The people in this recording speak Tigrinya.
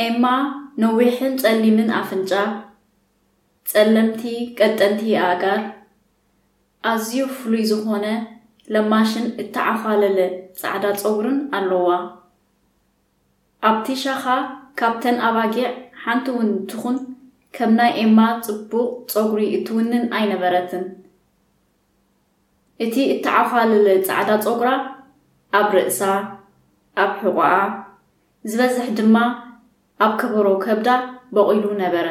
ኤማ ነዊሕን ጸሊምን ኣፍንጫ፣ ጸለምቲ ቀጠንቲ ኣእጋር፣ ኣዝዩ ፍሉይ ዝኾነ ለማሽን እተዓዃለለ ጻዕዳ ጸጉርን ኣለዋ። ኣብቲ ሻኻ ካብተን ኣባጊዕ ሓንቲ እውን ትኹን ከም ናይ ኤማ ጽቡቕ ጸጉሪ እትውንን ኣይነበረትን። እቲ እተዓዃለለ ጻዕዳ ጸጉራ ኣብ ርእሳ፣ ኣብ ሕቖኣ፣ ዝበዝሕ ድማ ኣብ ከበሮ ከብዳ በቒሉ ነበረ።